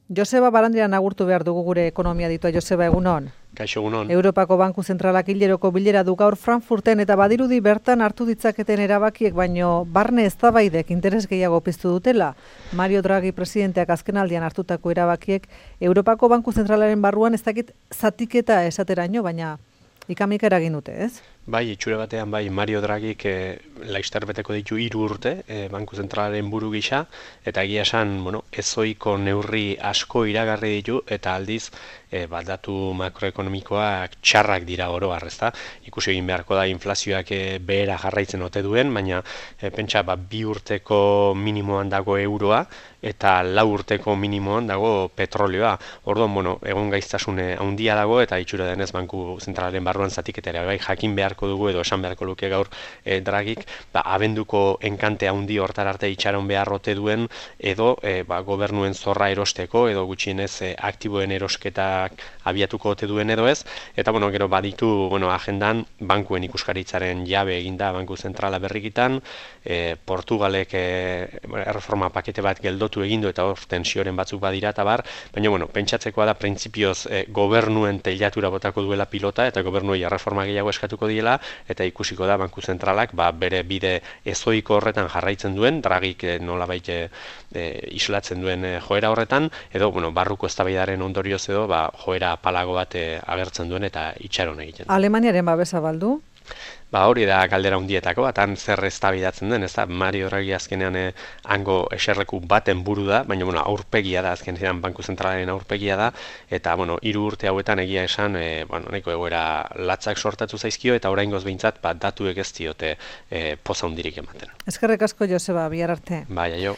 Joseba Barandiaran agurtu behar dugu gure ekonomia ditua. Joseba, egunon. Kaixo, egunon. Europako Banku Zentralak hileroko bilera du gaur Frankfurten eta badirudi bertan hartu ditzaketen erabakiek baino barne eztabaidek interes gehiago piztu dutela. Mario Draghi presidenteak azkenaldian hartutako erabakiek Europako Banku Zentralaren barruan ez dakit zatiketa esateraino, baina ikamika eragin dute, ez? Bai, itxure batean, bai, Mario Draghik laster beteko ditu 3 urte Banku Zentralaren buru gisa, eta egia esan, ezoiko neurri asko iragarri ditu, eta aldiz, datu makroekonomikoak txarrak dira oro ezta? Ikusi egin beharko da inflazioak behera jarraitzen ote duen, baina pentsa 2 urteko minimoan dago euroa, eta 4 urteko minimoan dago petrolioa. Orduan, egon gaiztasun handia dago, eta itxura denez Banku Zentralaren barruan zatiketera, bai, jakin beharko dugu edo esan beharko luke gaur Draghik, abenduko enkante handi hortar arte itxaron behar ote duen, edo gobernuen zorra erosteko, edo gutxienez aktiboen erosketak abiatuko ote duen edo ez, eta gero baditu agendan bankuen ikuskaritzaren jabe eginda Banku Zentrala berrikitan, Portugalek erreforma pakete bat geldotu egindu eta hor tensioren batzuk badira eta bar, baina pentsatzekoa da printzipioz gobernuen teilatura botako duela pilota eta gobernuei erreforma gehiago eskatuko diela, eta ikusiko da Banku Zentralak bere bide ezoiko horretan jarraitzen duen, Draghik nolabait islatzen duen joera horretan, edo barruko eztabaidaren ondorioz edo joera palago bat agertzen duen eta itxaron egiten. Alemaniaren babesa baldu? Hori da galdera hundietako, batan zer eztabaidatzen den, ez da, Mario Draghi azkenean hango eserleku baten buru da, baina aurpegia da, azkenean Banku Zentralaren aurpegia da, eta 3 urte hauetan egia esan, nahiko egoera latzak sortatu zaizkio, eta oraingoz behintzat datuek ez diote poza hundirik ematen. Eskerrik asko, Joseba, bihar arte. Bai, aio.